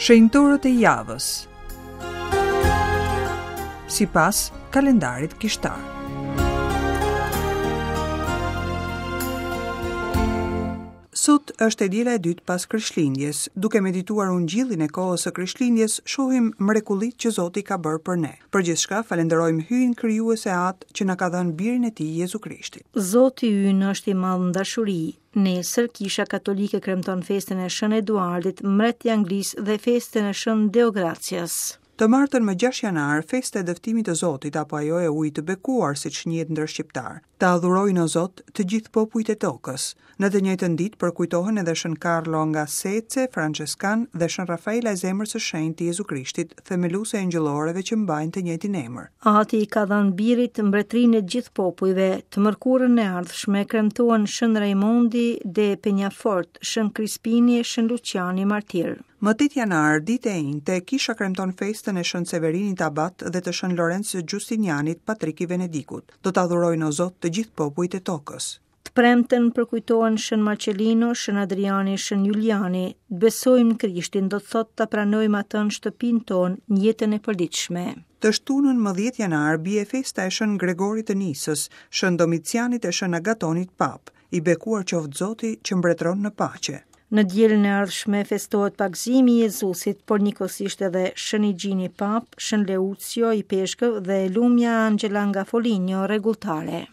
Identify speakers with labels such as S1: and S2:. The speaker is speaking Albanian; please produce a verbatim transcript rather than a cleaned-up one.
S1: Shenjtorët e javës sipas kalendarit kishtar. Sot është e diela e dytë pas Krishtlindjes. Duke medituar ungjillin e kohës së Krishtlindjes, shohim mrekullitë që Zoti ka bërë për ne. Për gjithçka falenderojmë Hyjin krijues e Atë që na ka dhënë birin e tij Jezu Krishtin.
S2: Zoti ynë është i madh në dashuri. Nesër Kisha Katolike kremton festën e Shën Eduardit, mbret i Anglisë dhe festën e Shën Deogracias.
S1: Të martën më gjashtë janar, festa e dëftimit të Zotit apo ajo e ujit të bekuar, siç njihet ndër shqiptar. Ta adhurojnë o Zot të gjithë popujt e tokës. Në të njëjtën ditë përkujtohen edhe Shën Carlo nga Sece, Franceskan dhe Shën Rafaela e Zemrës së Shenjtë të Jezu Krishtit, themeluese e engjëlloreve që mbajnë të njëjtin emër.
S2: Ati i ka dhënë birit mbretërinë e gjithë popujve. Të mërkurën e ardhshme kremtohen Shën Raimondi de Peñafort, Shën Crispini e Shën Luciani martir.
S1: Më tetë janar, ditë e enjte, kisha kremton festën e Shën Severinit Abat dhe të Shën Lorenz Giustinianit, patrik i Venedikut. Do të adhurojnë o Zot të gjithë popujt e tokës.
S2: Të premten përkujtohen Shën Marcelino, Shën Adriani, Shën Juliani. Të besojmë në Krishtin do të thotë ta pranojmë atë në shtëpinë tonë, në jetën e përditshme.
S1: Të shtunën më dhjetë janar bie festa e Shën Gregorit të Nisës, Shën Domicianit e Shën Agatonit Pap. I bekuar qoftë Zoti që mbretëron në paqe.
S2: Në dielën e ardhshme festohet pagëzimi i Jezusit, por njëkohësisht edhe Shën Igjini Pap, Shën Leucio i Peshkëv dhe Lumja Angela nga Foligno rregulltare.